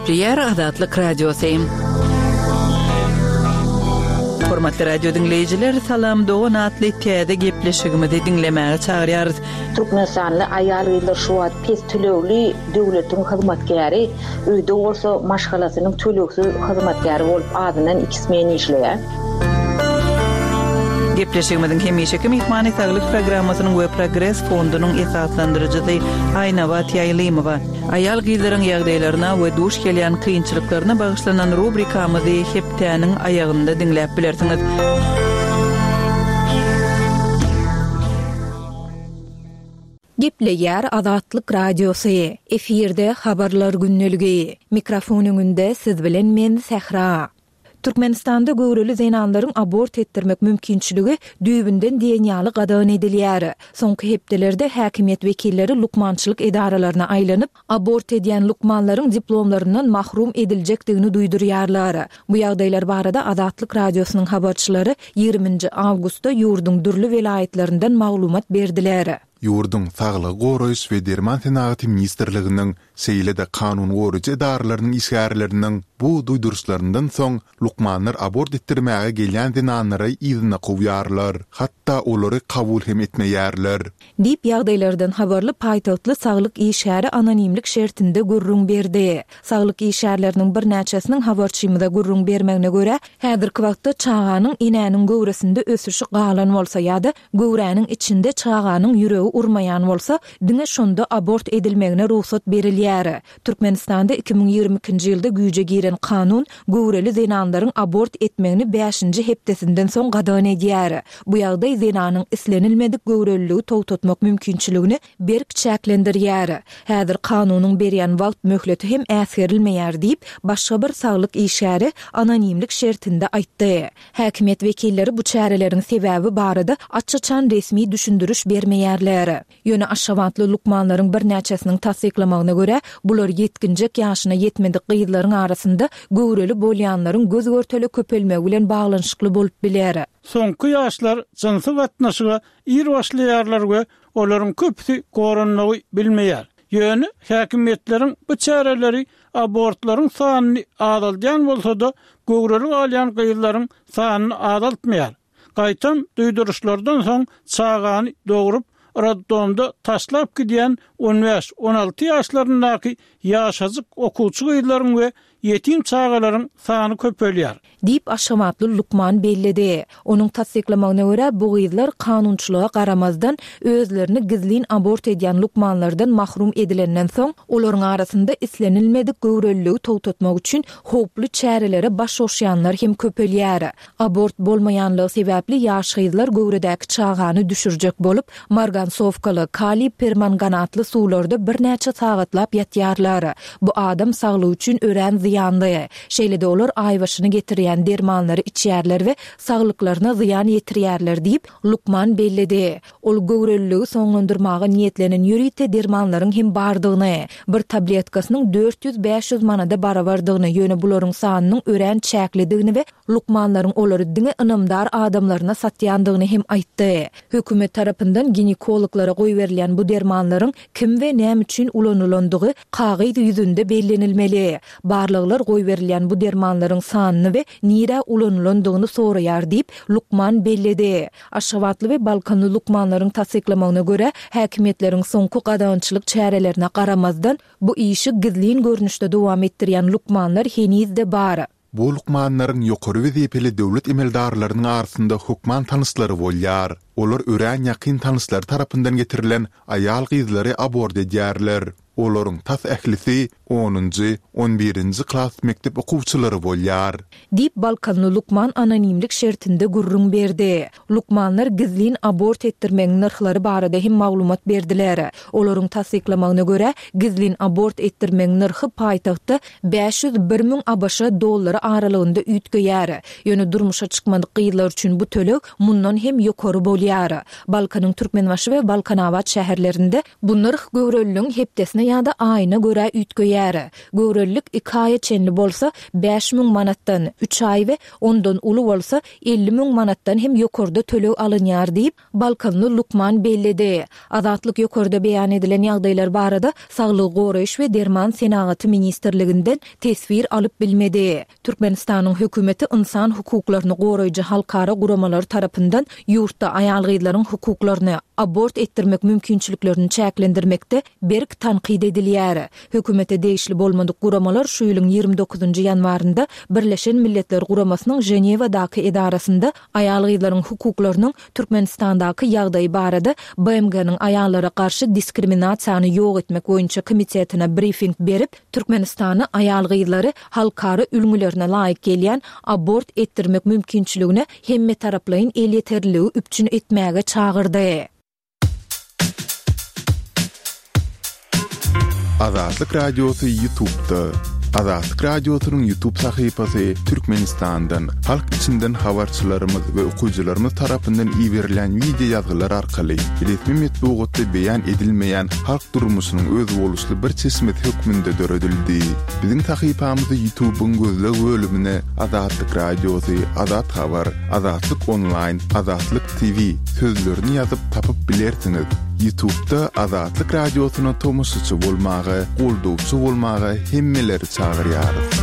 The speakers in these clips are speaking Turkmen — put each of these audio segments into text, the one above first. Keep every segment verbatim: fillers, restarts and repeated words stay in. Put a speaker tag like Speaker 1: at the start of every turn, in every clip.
Speaker 1: Gepleýär Azatlyk Radiosy. Hormatly radio diňleýjiler, Salam dogan atly täze gepleşigimizi diňlemäge çagyrýarys.
Speaker 2: Türkmenistanly aýal-gyzlar şu wagt pes tölegli döwletiň hyzmatkäri, öýde bolsa maşgalasynyň tölegsiz hyzmatkäri bolup azyndan iki smen işleýär.
Speaker 1: Gepleşigimiziň hemişeki myhmany saglyk programmasynyň we Progres fondunyň esaslandyryjysy Aýnabat Ýaýlymowa. Aýal gyzlaryň ýagdaýlaryna we duş gelýän kynçylyklaryna bagyşlanan rubrikamyzy hepdäniň aýagynda diňläp bilersiňiz.
Speaker 3: Gepleýär Azatlyk Radiosy. Efirde habarlar gündeligi. Mikrofon öňünde siz bilen men Sähra. Türkmenistanda göwreli zenanlaryň abort etdirmek mümkinçiligi düýbünden diýen ýaly gadagan edilýär. Soňky hepdelerde häkimiýet wekilleri lukmançylyk edaralaryna aýlanyp, abort edýän lukmanlaryň diplomlaryndan mahrum ediljekdigini duýdurýarlar. Bu ýagdaýlar barada Azatlyk Radiosynyň habarçylary ýigriminji awgustda ýurduň dürli welaýatlaryndan maglumat berdiler.
Speaker 4: Ýurduň Saglygy goraýyş we derman senagaty ministrliginiň, şeýle-de kanun goraýjy edaralarynyň işgärleriniň bu duýduryşlaryndan soň lukmanlar abort etdirmäge gelýän zenanlary yzyna kowýarlar, hatda olary kabul hem etmeýärler.
Speaker 3: Diýip ýagdaýlardan habarly paýtagtly saglyk işgäri anonimlik şertinde gürrüň berdi. Saglyk işgärleriniň birnäçesiniň habarçymyza gürrüň bermegine görä, häzirki wagtda çaganyň enäniň göwresinde ösüşi galan bolsa ýa-da göwräniň içinde çaganyň ýüregi urmaýan bolsa, diňe şonda abort edilmegine rugsat berilýär. Türkmenistanda iki müň ýigrimi ikinji ýylda güýje giren kanun göwreli zenanlaryň abort etmegini bäşinji hepdesinden soň gadagan edýär. Bu ýagdaý zenanyň islenilmedik göwreliligi togtatmak mümkinçiligini berk çäklendirýär. Häzir kanunyň berýän wagt möhleti hem äsgerilmeýär diýip, başga bir saglyk işgäri anonimlik şertinde aýtdy. Häkimiýet wekilleri bu çäreleriň sebäbi barada aç-açan resmi düşündiriş bermeýärler. Ýöne Aşgabatly lukmanlaryň birnäçesiniň tassyklamagyna görä, bular ýetginjek ýaşyna ýetmedik gyzlaryň arasynda göwreli bolýanlaryň göz görtele köpelmegi bilen baglanyşykly bolup biler.
Speaker 5: Soňky ýaşlar jynsy gatnaşyga ir başlaýarlar we olaryň köpüsi goranmagy bilmeýär. Ýöne häkimiýetleriň bu çäreleri abortlaryň sanyny azaldýan bolsa-da, göwreli galýan gyzlaryň sanyny azaltmaýar. Gaýtam duýduryşlardan soň çagany dogrup, roddomda taşlap gidýän on bäş, on alty ýaşlaryndaky ýaşajyk okuwçy gyzlaryň we ýetim çagalaryň sany köpelýär.
Speaker 3: Diýip, Aşgabatly lukman belledi. Onuň tassyklamagyna görä, bu gyzlar kanunçylyga garamazdan, özlerini gizlin abort edýän lukmanlardan mahrum edilenden soň, olaryň arasynda islenilmedik göwreliligi togtatmak üçin howply çärelere baş goşýanlar hem köpelýär. Abort bolmaýanlygy sebäpli ýaş gyzlar göwredäki çagany düşürjek bolup, margansowkaly, kaliý permanganatly suwlarda birnäçe sagatlap ýatýarlar. Bu adam saglygy üçin örän zyýanly. Şeýle-de olar aýbaşyny getirýän dermanlary içýärler we saglyklaryna zyýan ýetirýärler diýip, lukman belledi. Ol göwreliligi soňlandyrmaga niýetlenen ýörite dermanlaryň hem bardygyny, bir tabletkasynyň dört ýüz bäş ýüz manada barabardygyny, ýöne bularyň sanynyň örän çäklidigini we lukmanlaryň olary diňe ynamdar adamlaryna satýandygyny hem aýtdy. Hökümet tarapyndan ginekologlara goýberilýän bu dermanlaryň kim we näme üçin ulanylandygy kagyz ýüzünde bellenilmeli. Barlaglar goýberilýän bu dermanlaryň sanyny we nirä ulanylandygyny soraýar diýip, lukman belledi. Aşgabatly we Balkanly lukmanlaryň tassyklamagyna görä, häkimiýetleriň soňky gadagançylyk çärelerine garamazdan, bu işi gizlin görnüşde dowam etdirýän lukmanlar heniz-de bar.
Speaker 4: Bu lukmanlaryň ýokary wezipeli döwlet emeldarlarynyň arasynda hökman tanyşlary bolýar. Olar örän ýakyn tanyşlary tarapyndan getirilen aýal-gyzlary abort edýärler. Olaryň tas ählisi onunjy, on birinji klas mekdep okuwçylary bolýar.
Speaker 3: Diýip, Balkanly lukman anonimlik şertinde gürrüň berdi. Lukmanlar gizlin abort etdirmegiň nyrhlary barada hem maglumat berdiler. Olaryň tassyklamagyna görä, gizlin abort etdirmegiň nyrhy paýtagtda bäş ýüz bir müň A B Ş dollary aralygynda üýtgeýär. Ýöne durmuşa çykmadyk gyzlar üçin bu töleg mundan hem ýokary bolýar. Balkanyň Türkmenbaşy we Balkanabat şäherlerinde bu nyrh göwreliligiň hepdesine ýa-da aýyna görä üýtgeýär. Göwrelilik iki aýa çenli bolsa bäş müň manatdan, üç aý we ondan uly bolsa elli müň manatdan hem ýokarda töleg alynýar diýip, balkanly lukman belledi. Azatlyk ýokarda beýan edilen ýagdaýlar barada Saglygy goraýyş we derman senagaty ministrliginden teswir alyp bilmedi. Türkmenistanyň hökümeti ynsan hukuklaryny goraýjy halkara guramalary tarapyndan ýurtda aýal-gyzlaryň hukuklaryny, abort etdirmek mümkinçiliklerini çäklendirmekde berk tankyt edilýär. Hökümete degişli bolmadyk guramalar şu ýylyň ýigrimi dokuzynjy ýanwarynda Birleşen Milletler Guramasynyň Ženewadaky edarasynda aýal-gyzlaryň hukuklarynyň Türkmenistandaky ýagdaýy barada B M G-niň aýallara garşy diskriminasiýany ýok etmek boýunça komitetine brifing berip, Türkmenistany aýal-gyzlary halkara ülňülerine laýyk gelýän abort etdirmek mümkinçiligine hemmetaraplaýyn elýeterliligi üpjün etmäge çagyrdy.
Speaker 4: Azatlyk Radiosy YouTube'da. Azatlyk Radiosynyň YouTube sahypasy Türkmenistandan, halk içinden habarçylarymyz we okyjylarymyz tarapyndan iberilen wideo ýazgylar arkaly resmi metbugatda beýan edilmeýän halk durmuşynyň özboluşly bir çeşmesi hökmünde döredildi. Biziň sahypamyzy YouTube'yň gözleg bölümine Azatlyk Radiosy, Azat Habar, Azatlyk Online, Azatlyk T V sözlerini ýazyp tapyp bilersiňiz. YouTube'da Azatlyk Radiosyna tomaşaçy bolmaga, goldawçy bolmaga hemmeleri çagyrýarys.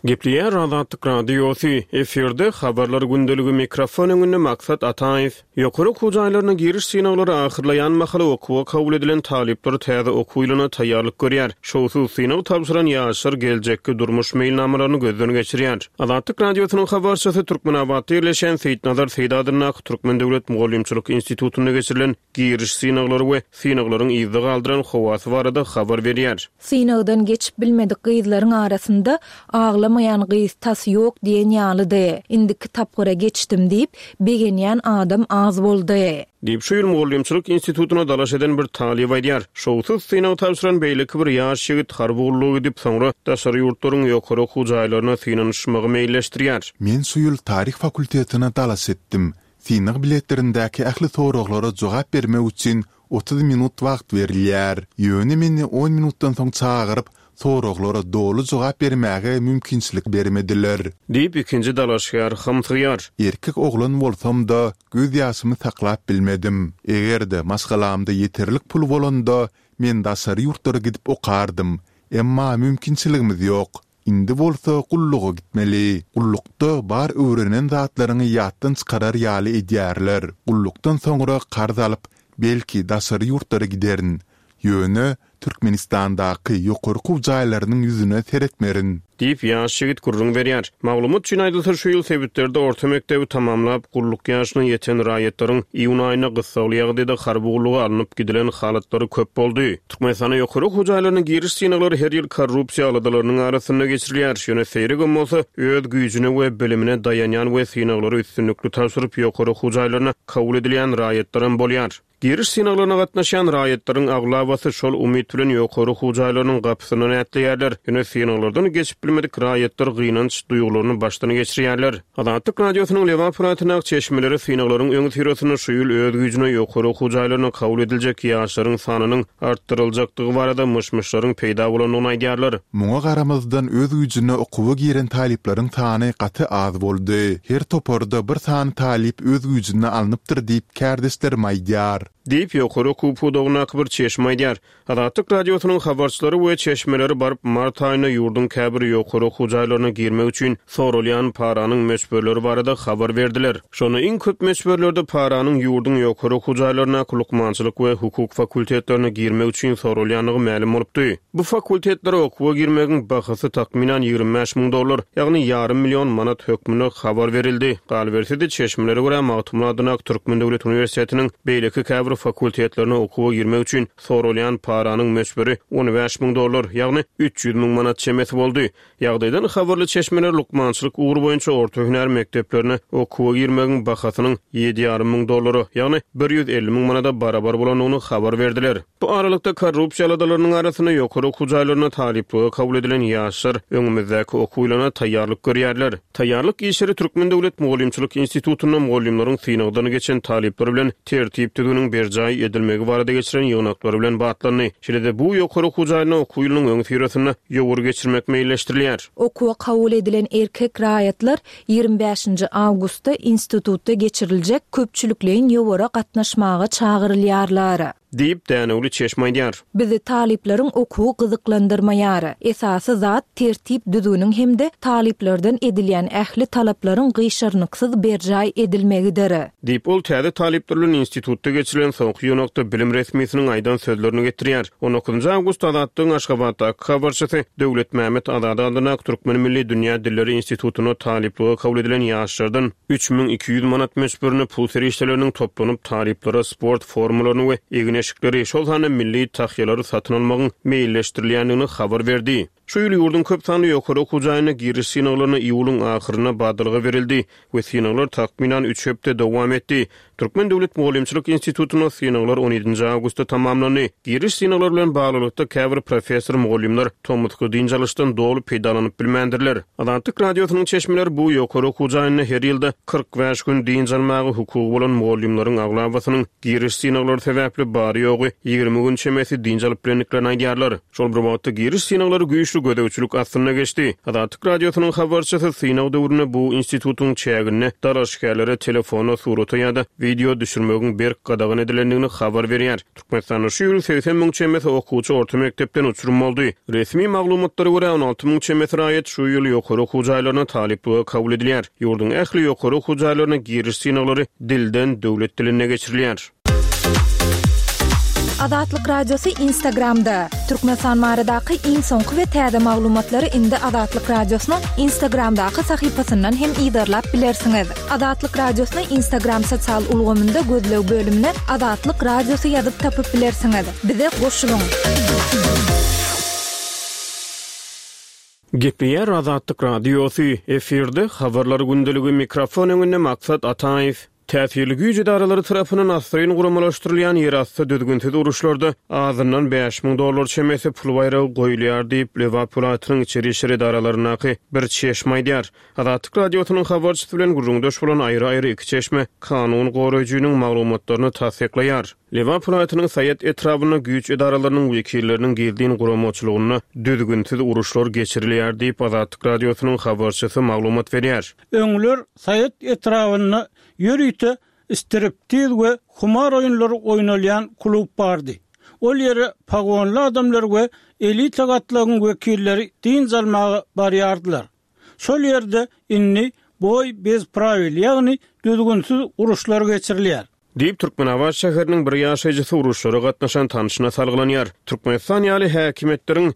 Speaker 6: Gepleýär Azatlyk Radiosy, efirde habarlar gündeligi, mikrofon öňünde Maksat Ataýew. Ýokary okuw jaýlaryna giriş synaglary ahyrlaýan mahaly okuwa kabul edilen talyplar täze okuw ýylyna taýýarlyk görýär. Şowsuz synag tabşyran ýaşlar geljekki durmuş meýilnamalaryny gözden geçirýär. Azatlyk Radiosynyň habarçysy Türkmenabatda ýerleşen Seýitnazar Seýit adyndaky Türkmen Döwlet Mugallymçylyk Institutynda geçirilen giriş synaglary we synaglaryň yzda galdyran howasy barada habar berýär.
Speaker 3: Synagdan geçip bilmedik gyzlaryň arasynda aglamaýan gyz tas ýok diýen ýalydy. Indiki tapgyra geçdim diýip, begenýän adam az boldy.
Speaker 6: Diýip, şu ýyl Mugallymçylyk institutyna dalaş eden bir talyp aýdýar. Şowsuz synag tabşyran beýleki bir ýaş ýigit harby gulluga gidip, soňra daşary ýurtlaryň ýokary okuw jaýlaryna synanyşmagy meýilleşdirýär.
Speaker 4: Men şu ýyl taryh fakultetine dalaş etdim. Synag biletlerindäki ähli soraglara jogap bermek üçin otuz minut wagt berilýär. Ýöne meni on minutdan soň çagyryp, soraglara doly jogap bermäge mümkinçilik bermediler.
Speaker 6: Diýip, ikinji dalaşgär hamsygýar.
Speaker 4: Erkek oglan bolsam da göz ýaşymy saklap bilmedim. Eger-de maşgalamda ýeterlik pul bolanda, men daşary ýurtlara gidip okardym. Emma mümkinçiligimiz ýok. Indi bolsa gulluga gitmeli. Gullukda bar öwrenen zatlaryňy ýatdan çykarar ýaly edýärler. Gullukdan soňra karz alyp, belki daşary ýurtlara giderin. Ýöne Türkmenistandaky ýokary okuw jaýlarynyň ýüzüne seretmerin.
Speaker 6: Diýip, ýaş ýigit gürrüň berýär. Maglumat üçin aýdylsa, şu ýyl sebitlerde orta mekdebi tamamlap, gulluk ýaşyna ýeten raýatlaryň iýun aýynda gyssagly ýagdaýda harby gulluga alnyp gidilen halatlary köp boldy. Türkmenistanda ýokary okuw jaýlaryna giriş synaglary her ýyl korrupsiýa aladalarynyň arasynda geçirilýär. Ýöne seýregem bolsa, öz güýjüne we bilimine daýanýan we synaglary üstünlikli tabşyryp ýokary okuw jaýlaryna kabul edilýän raýatlaram bolýar. Giriş synaglaryna gatnaşýan raýatlaryň aglabasy şol umyt bilen ýokary okuw jaýlarynyň gapysyndan ätleýärler. Ýöne synaglardan geçip bilmedik raýatlar gynanç duýgularyny başdan geçirýärler. Azatlyk Radiosynyň Lebap welaýatyndaky çeşmeleri synaglaryň öňi syrasynda şu ýyl öz güýjüne ýokary okuw jaýlaryna kabul ediljek ýaşlaryň sanynyň artdyryljakdygy barada myş-myşlaryň peýda bolandygyny aýdýarlar.
Speaker 4: Muňa garamazdan öz güýjüne okuwa giren talyplaryň sany gaty az boldy. Her toparda bir sany talyp öz güýjüne alnypdyr diýip kärdeşlerim aýdýar.
Speaker 6: Diýip, ýokary okuw pudagyndaky bir çeşme aýdýar. Azatlyk Radiosynyň habarçylary we çeşmeleri baryp mart aýynda ýurduň käbir ýokary okuw jaýlaryna girmek üçin soralýan paranyň möçberleri barada habar berdiler. Şonda iň köp möçberlerde paranyň ýurduň ýokary okuw jaýlaryndaky lukmançylyk we hukuk fakultetlerine girmek üçin soralýandygy mälim bolupdy. Bu fakultetlere okuwa girmegiň bahasy takmynan ýigrimi bäş müň dollar, ýagny ýarym million manat hökmünde habar berildi. Galyberse-de çeşmelere görä Magtymguly adyndaky Türkmen Döwlet Uniwersitetiniň beýleki käbir fakultetlerine okuwa girmek üçin soralýan paranyň möçberi on bäş müň dollar, ýagny üç ýüz müň manat çemesi boldy. Ýagdaýdan habarly çeşmeler lukmançylyk ugry boýunça orta hünär mekdeplerine okuwa girmegiň bahasynyň ýedi ýarym müň dollara, ýagny bir ýüz elli müň manada barabar bolandygyny habar berdiler. Bu aralykda korrupsiýa aladalarynyň arasynda ýokary okuw jaýlaryna talyplyga kabul edilen ýaşlar öňümizdäki okuw ýylyna taýýarlyk görýärler. Taýýarlyk işleri Türkmen Döwlet Mugallymçylyk Institutynda mugallymlaryň synagdan geçen talyplar bilen tertip düzgüniň düzgünleriniň berjaý edilmegi barada geçiren ýygnaklary bilen batlandy. Şeýle-de bu ýokary okuw jaýynda okuw ýylynyň öňüsyrasynda ýowar geçirmek meýilleşdirilýär.
Speaker 3: Okuwa kabul edilen erkek raýatlar ýigrimi bäşinji awgustda institutda geçiriljek köpçülikleýin ýowara gatnaşmaga çagyrylýarlar.
Speaker 6: Diýip, Dänewli çeşme aýdýar.
Speaker 3: Bizi talyplaryň okuwy gyzyklandyrmaýar. Esasy zat tertip düzgüniň hem-de talyplardan edilýän ähli talaplaryň gyşarnyksyz berjaý edilmegidir.
Speaker 6: Diýip, ol täze talyplar bilen institutda geçirilen soňky ýygnakda bilim resmisiniň aýdan sözlerini getirýär. On dokuzynjy awgustda Azatlygyň Aşgabatdaky habarçysy Döwletmämmet Azady adyndaky Türkmen milli dünýä dilleri institutyna talyplyga kabul edilen ýaşlardan üç müň iki ýüz manat möçberinde pul serişdeleriniň toplanyp talyplara sport formalaryny we egin-eşikleri, şol sanda milli tahýalary satyn almagyň meýilleşdirilýändigini habar berdi. Şu ýyl ýurduň köp sanly ýokary okuw jaýyna giriş synaglaryna iýulyň ahyryna badalga berildi we synaglar takmynan üç hepde dowam etdi. Türkmen döwlet mugallymçylyk institutynda synaglar on ýedinji awgustda tamamlandy. Giriş synaglary bilen baglylykda käbir professor mugallymlar tomusky dynç alyşdan doly peýdalanyp bilmändirler. Azatlyk radiosynyň çeşmeleri bu ýokary okuw jaýynda her ýylda kyrk bäş gün dynç almaga hukugy bolan mugallymlaryň aglabasynyň giriş synaglary sebäpli bary-ýogy ýigrimi gün çemesi dynç alyp bilendiklerini aýdýarlar. Şol bir wagtda giriş synaglary güýçli gözegçilik astynda geçdi. Azatlyk radiosynyň habarçysy synag döwründe bu institutyň çäginde dalaşgärlere telefona, surata ýa-da video düşürmegiň berk gadagan edilendigini habar berýär. Türkmenistanda şu ýyl segsen müň çemesi okuwçy orta mekdepden uçurum boldy. Resmi maglumatlara görä on alty müň çemesi raýat şu ýyl ýokary okuw jaýlaryna talyplyga kabul edilýär. Ýurduň ähli ýokary okuw jaýlaryna giriş synaglary dilden döwlet dilinde geçirilýär.
Speaker 3: Azatlyk Radiosy Instagramda. Türkmenistan baradaky iň soňky we täze maglumatlary indi Azatlyk Radiosynyň Instagramdaky sahypasyndan hem yzarlap bilersiňiz. Azatlyk Radiosyny Instagram sosial ulgamynda gözleg bölümine Azatlyk Radiosy ýazyp tapyp bilersiňiz. Bize goşulyň.
Speaker 6: Gepleýär Azatlyk Radiosy, efirde habarlar gündeligi, mikrofon öňünde Maksat Ataýew. Täsirli güýç edaralary tarapyndan asryn guramalaşdyrylýan ýerasty düzgünsiz uruşlarda azyndan bäş müň dollar çemesi pul baýragy goýulýar diýip, Lebap welaýatynyň içeri işler edaralaryndaky bir çeşme aýdýar. Azatlyk Radiosynyň habarçysy bilen gürrüňdeş bolan aýry-aýry iki çeşme kanun goraýjynyň maglumatlaryny tassyklaýar. Lebap welaýatynyň Saýat etrabynda güýç edaralarynyň wekilleriniň gizlin guramaçylygynda düzgünsiz uruşlar geçirilýär diýip, Azatlyk Radiosynyň habarçysy maglumat berýär.
Speaker 5: Öňler Saýat etrabynda ýörite striptiz we humar oýunlary oýnalýan klub bardy. Ol ýere pagonly adamlar we elita gatlagyň wekilleri dynç almaga barýardylar. Şol ýerde indi boý bez prawil, ýagny düzgünsiz uruşlar geçirilýär.
Speaker 6: Diýip, Türkmenabat şäheriniň bir ýaşaýjysy uruşlara gatnaşan tanşyna salgylanýar. Türkmenistan ýaly häkimiýetleriň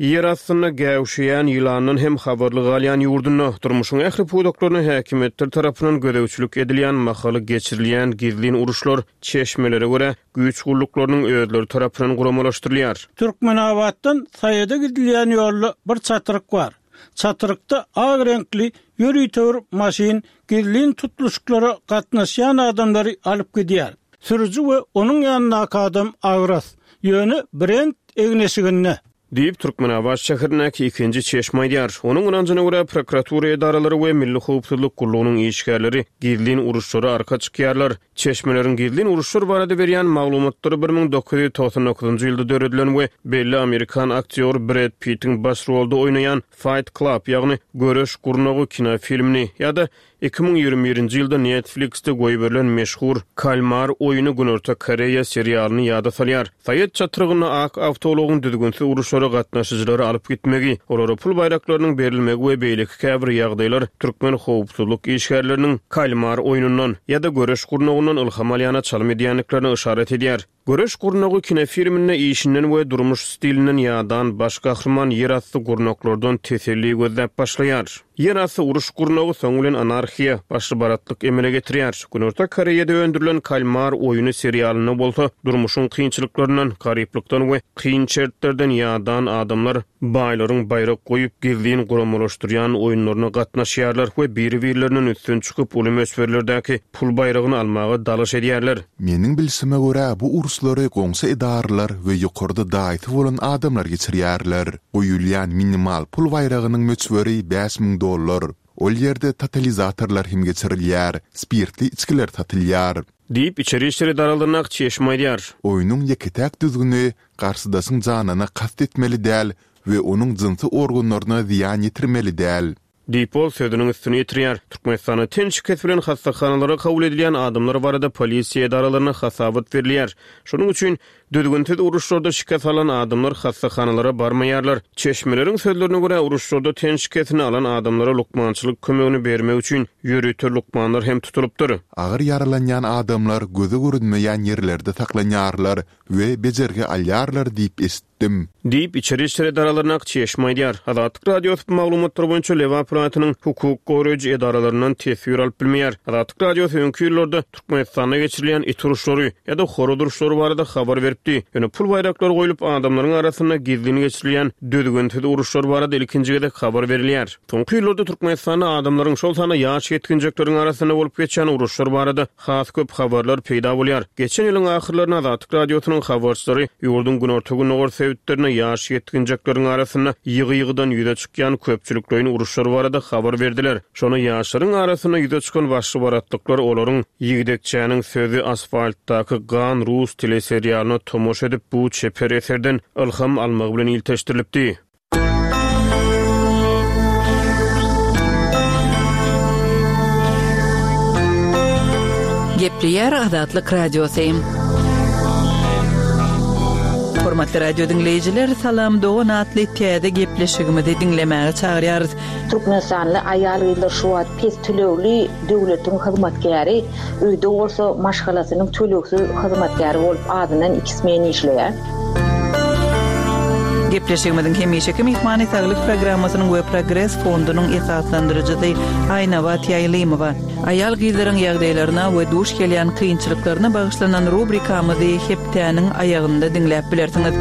Speaker 6: ýer astynda gäwşeýän ýylandan hem habarly galýan ýurdunda durmuşyň ähli pudaklaryna häkimiýetler tarapyndan gözegçilik edilýän mahaly geçirilýän gizlin uruşlar çeşmelere görä güýç gulluklarynyň özleri tarapyndan guramalaşdyrylýar.
Speaker 5: Türkmenabatdan Saýada gidilýän ýolda bir çatryk bar. Çatrykda ak reňkli ýörite bir maşyn gizlin tutluşyklara gatnaşýan adamlary alyp gidýär. Sürüji we onuň ýanyndaky adam agras, ýöne brend egneşiginde.
Speaker 6: Diýip, Türkmenabat şäherindäki ikinji çeşme aýdýar. Onuň ynanjyna görä prokuratura edaralary we Milli howpsuzlyk gullugynyň işgärleri gizlin uruşlara arka çykýarlar. Çeşmeleriň gizlin uruşlar barada berýän maglumatlary bir müň dokuz ýüz togsan dokuzynjy ýylda döredilen we belli amerikan aktýory Brad Pittiň baş rolda oýnaýan Fight Club, ýagny Göreş gurnagy kinofilmini ýa-da iki müň ýigrimi birinji ýylda Netflixde goýberilen meşhur Kalmar oýny Günorta Koreýa serialyny ýada salýar. Saýat çatrygynda ak awtoulagyň düzgünsiz uruşlara gatnaşyjylary alyp gitmegi, olara pul baýraklarynyň berilmegi we beýleki käbir ýagdaýlar türkmen howpsuzlyk işgärleriniň Kalmar oýnundan ýa-da Göreş gurnagyndan ylham alýana çalym edýändiklerine yşarat edýär. Göreş gurnagy kinofilminde işinden we durmuş stilinden ýadan baş gahryman ýerasty gurnaklardan teselli gözläp başlaýar. Ýerasty uruş gurnagy soň bilen anarhiýa, başly baratlyk emele getirýär. Günorta Koreýada öndürilen Kalmar oýny serialynda bolsa durmuşyň kynçylyklaryndan, garyplykdan we kyn şertlerden ýadan adamlar baýlaryň baýrak goýup gizlin guramalaşdyrýan oýunlaryna gatnaşýarlar we biri-birlerinden üstün çykyp uly möçberlerdäki pul baýragyny almaga dalaş edýärler.
Speaker 4: Meniň bilşime görä bu uruşlary goňşy edaralar we ýokarda daýysy bolan adamlar geçirýärler. Goýulýan minimal pul baýragynyň möçberi bäş müň dollar. Ol ýerde totalizatorlar hem geçirilýär, spirtli içkiler satylýar.
Speaker 6: Diýip, içeri işler edaralaryndaky çeşme aýdýar.
Speaker 4: Oýnuň ýeke-täk düzgüni, garşydaşyň janyna kast etmeli däl we onuň jynsy organlaryna zyýan ýetirmeli däl.
Speaker 6: Diýip, ol sözüniň üstüni ýetirýär. Türkmenistanda ten şikesi bilen hassahanalara kabul edilýän adamlar barada polisiýa edaralaryna hasabat berilýär. Şonuň üçin düzgünsiz uruşlarda şikes alan adamlar hassahanalara barmaýarlar. Çeşmeleriň sözlerine görä, uruşlarda ten şikesini alan adamlara lukmançylyk kömegini bermek üçin ýörite lukmanlar hem tutulypdyr.
Speaker 4: Agyr ýaralanýan adamlar göze görünmeýän ýerlerde saklanýarlar we bejergi alýarlar diýip eşitdim.
Speaker 6: Diýip, içeri işler edaralaryndaky çeşme aýdýar. Azatlyk Radiosy bu maglumatlar boýunça Lebap welaýatynyň hukuk goraýjy edaralaryndan teswir alyp bilmeýär. Azatlyk Radiosy öňki ýyllarda Türkmenistanda geçirilýän it uruşlary ýa-da horaz uruşlary barada habar beripdi. Ýöne pul baýraklary goýlup, adamlaryň arasynda gizlin geçirilýän düzgünsiz uruşlar barada ilkinji gezek habar berilýär. Soňky ýyllarda Türkmenistanda adamlaryň, şol sanda ýaş ýetginjekleriň arasynda bolup geçýän uruşlar barada has köp habarlar peýda bolýar. Geçen ýylyň ahyrlarynda Azatlyk Radiosynyň habarçylary ýurduň günorta-gündogar sebitlerinde ýaş ýetginjekleriň arasynda ýygy-ýygydan ýüze çykýan köpçülikleýin uruşlar barada habar berdiler. Şonda ýaşlaryň arasynda ýüze çykan başly-baratlyklar olaryň Ýigdekçäniň sözi asfaltdaky gan rus teleserialyna tomaşa edip, bu çeper eserden ylham almagy bilen ilteşdirilipdi.
Speaker 1: Gepleýär Azatlyk Radiosy. Hormatly radio diňleýjiler, Salam dogan atly täze gepleşigimizi diňlemäge çagyrýarys.
Speaker 2: Türkmenistanly aýal-gyzlar şu wagt pes tölegli döwletiň hyzmatkäri, öýde bolsa maşgalasynyň tölegsiz hyzmatkäri bolup azyndan iki smen işleýär.
Speaker 1: Gepleşigimiziň hemişeki myhmany Saglyk programmasynyň we Progres fondunyň esaslandyryjysy Aýnabat Ýaýlymowa. Aýal-gyzlaryň ýagdaýlaryna we duş gelýän kynçylyklaryna bagyşlanan rubrikamyzy hepdäniň aýagynda diňläp bilersiňiz.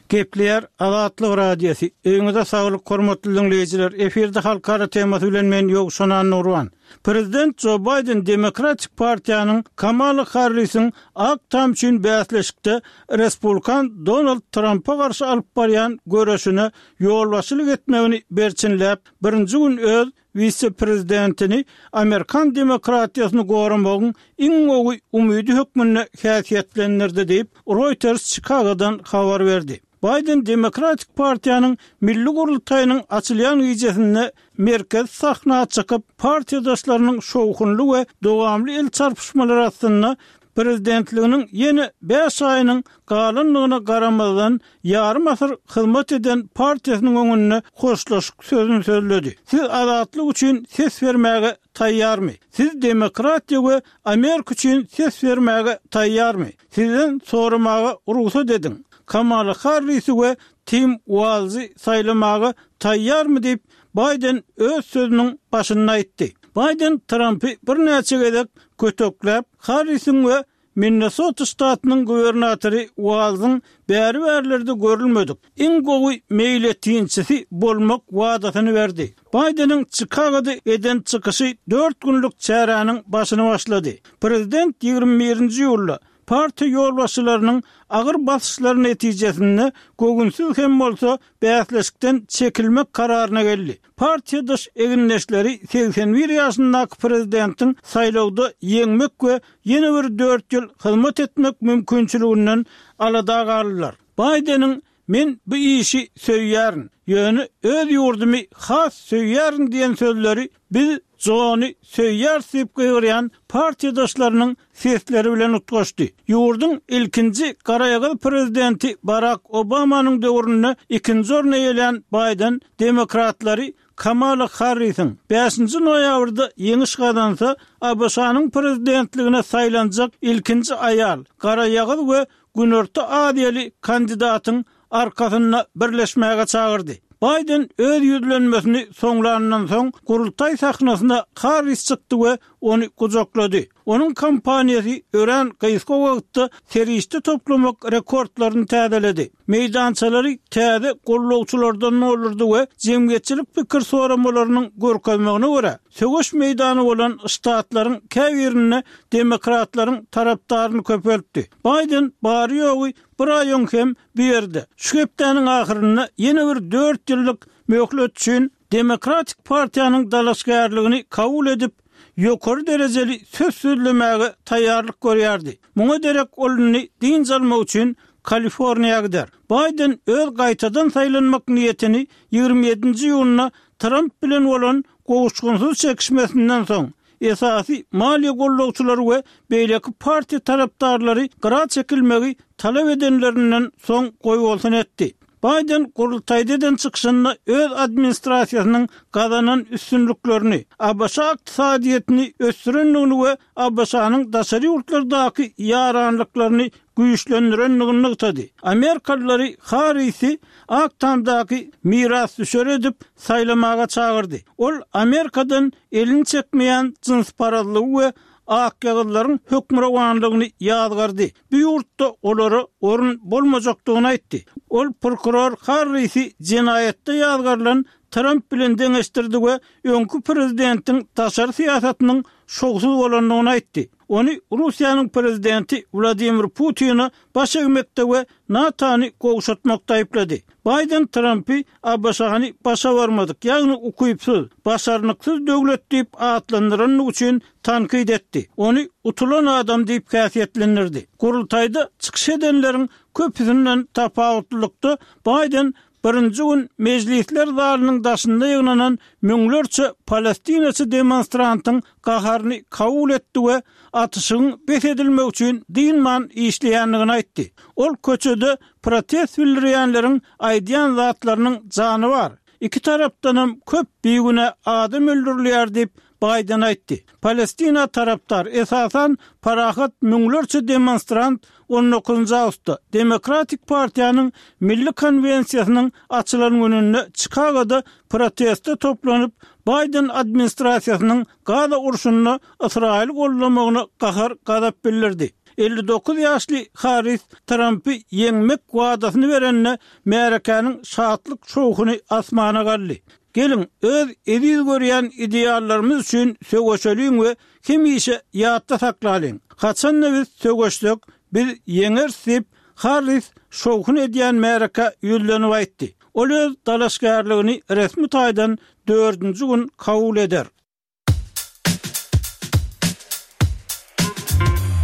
Speaker 5: Gepleýär Azatlyk Radiosy. Öýüňize saglyk, hormatly diňleýjiler. Efirde halkara temasy bilen men Ýowşan Nurwan. Prezident Jo Baýden Demokratik partiýanyň Kamala Harrisiň Ak Tam üçin bäsleşikde Respublikan Donald Trampa garşy alyp barýan göreşine ýolbaşçylyk etmegini berçinläp, birinji gün öz wise-prezidentini Amerikan demokratiýasyny goramagyň iň gowy umydy hökmünde häsiýetlendirdi diýip, Reuters Çikagodan habar berdi. Baýden Demokratik partiýanyň milli gurultaýynyň açylýan gijesinde merkezi sahna çykyp, partiýadaşlarynyň şowhunly we dowamly el çarpyşmalary astynda prezidentliginiň ýene bäş aýynyň galandygyna garamazdan, ýarym asyr hyzmat eden partiýasynyň öňünde hoşlaşyk sözüni sözledi. Siz azatlyk üçin ses bermäge taýýarmy? Siz demokratiýa we Amerika üçin ses bermäge taýýarmy? Sizden soramaga rugsat ediň. Kamala Harrisi we Tim Walzy saýlamaga taýýarmy diýip, Baýden öz sözüniň başynda aýtdy. Baýden Trampy birnäçe gezek kötekläp, Harrisiň we Minnesota ştatynyň gubernatory Walzyň bäri-bärlerde görülmedik, iň gowy meýletinçisi bolmak wadasyny berdi. Baýdeniň Çikagoda eden çykyşy dört günlük çäräniň başyny başlady. Prezident ýigrimi birinji iýulda partiýa ýolbaşçylarynyň agyr basyşlary netijesinde göwünsiz hem bolsa bäsleşikden çekilmek kararyna geldi. Partiýadaş egindeşleri segsen bir ýaşyndaky prezidentiň saýlawda ýeňmek we ýene bir dört ýyl hyzmat etmek mümkinçiliginden alada galdylar. Baýdeniň Men bu işi söýýärin, ýöne öz ýurdumy has söýýärin diýen sözleri biz Jony söýýäris diýip gygyrýan partiýadaşlarynyň sesleri bilen utgaşdy. Ýurduň ilkinji garaýagyz prezidenti Barak Obamanyň döwründe ikinji orny eýelän Baýden demokratlary Kamala Harrisiň bäşinji noýabrda ýeňiş gazansa, ABŞ-nyň prezidentligine saýlanjak ilkinji aýal, garaýagyz we Günorta Aziýaly kandidatyň arkasynda birleşmäge çagyrdy. Baýden öz ýüzlenmesini soňlanyndan soň, gurultaý sahnasyna Harris çykdy we ony gujaklady. Onuň kampaniýasy örän gysga wagtda serişde toplamak rekordlaryny täzeledi, meýdançalary täze gollawçylardan doldurdy we jemgyýetçilik pikir soramalarynyň görkezmegine görä, söweş meýdany bolan ştatlaryň käbirinde demokratlaryň tarapdaryny köpeltdi. Baýden bary-ýogy bir aý öň hem bu ýerde, şu hepdäniň ahyrynda ýene bir dört ýyllyk möhlet üçin Demokratik partiýanyň dalaşgärligini kabul edip, ýokary derejeli söz sözlemäge taýýarlyk görýärdi. Muňa derek ol indi dynç almak üçin Kaliforniýa gider. Baýden öz gaýtadan saýlanmak niýetini ýigrimi ýedinji iýunda Tramp bilen bolan gowuşgynsyz çekişmesinden soň, esasy maliýe gollagçylary we beýleki partiýa tarapdarlary gyra çekilmegi talap edenlerinden soň goýbolsun etdi. Baýden gurultaýda eden çykyşynda öz administrasiýasynyň gazanan üstünliklerini, ABŞ ykdysadyýetini ösdürendigini we ABŞ-nyň daşary ýurtlardaky ýaranlyklaryny güýçlendirendigini nygtady. Amerikalylary Harrisi Ak Tamdaky mirasdüşer edip saýlamaga çagyrdy. Ol Amerikadan elini çekmeýän jynsparazlygy we akýagyzlaryň hökmürowanlygyny ýazgardy. Bu ýurtda olara orun bolmajakdygyny aýtdy. Ol prokuror Harrisi jenaýatda ýazgarylan Tramp bilen deňeşdirdi we öňki prezidentiň daşary syýasatynyň şowsuz bolandygyny aýtdy. Ony Russiýanyň prezidenti Wladimir Putine baş egmekde we NATO-ny gowşatmakda aýyplady. Baýden Trampy ABŞ-ny başa barmadyk, ýagny ukypsyz, başarnyksyz döwlet diýip atlandyrandygy üçin tankyt etdi. Ony utulan adam diýip häsiýetlendirdi. Gurultaýda çykyş edenleriň köpüsinden tapawutlylykda Baýden Birinji gün mejlisler zalynyň daşynda ýygnanan müňlerçe palestinaçy demonstrantyň gaharyny kabul etdi we atyşygyň bes edilmegi üçin dynman işleýändigini aýtdy. Ol köçede protest bildirýänleriň aýdýan zatlarynyň jany bar. Iki tarapdanam köp bigünä adam öldürilýär diýip, Baýden aýtdy. Palestina tarapdar, esasan, parahat müňlerçe demonstrant on dokuzynjy awgustda, Demokratik partiýanyň Milli konwensiýasynyň açylan gününde Çikagoda proteste toplanyp, Baýden administrasiýasynyň Gaza urşunda Ysraýyly goldamagyna gahar-gazap bildirdi. Elli dokuz ýaşly Harris Trampy ýeňmek wadasyny berende, märekäniň şatlyk-şowhuny asmana galdy. Geliň, öz eziz görýän ideallarymyz üçin söweşeliň we hemişe ýatda saklalyň, haçan-da biz söweşsek, biz ýeňeris diýip, Harris şowhun edýän märekä ýüzlenip aýtdy. Ol öz dalaşgärligini resmi taýdan dördünji gün kabul eder.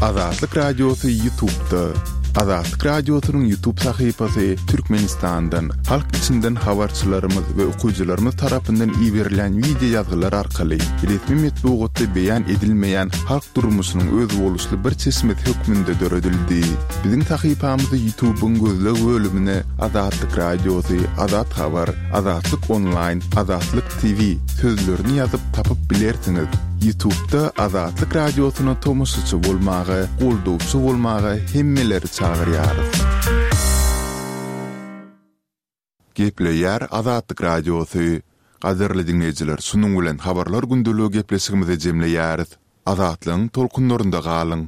Speaker 4: Azatlyk Radiosy Ýutubda. Azatlyk Radiosynyň Ýutub sahypasy Türkmenistandan, halk içinden habarçylarymyz we okyjylarymyz tarapyndan iberilen wideo ýazgylar arkaly resmi metbugatda beýan edilmeýän halk durmuşynyň özboluşly bir çeşmesi hökmünde döredildi. Biziň sahypamyzy Ýutubyň gözleg bölümine Azatlyk Radiosy, Azat Habar, Azatlyk Onlaýn, Azatlyk TV sözlerini ýazyp tapyp bilersiňiz. Ýutubda Azatlyk Radiosyna tomaşaçy bolmaga, goldawçy bolmaga hemmeleri çagyrýarys. Gepleýär Azatlyk Radiosy. Gadyrly diňleýjiler, şunuň bilen Habarlar gündeligi gepleşigimizi jemleýäris. Azatlygyň tolkunlarynda galyň!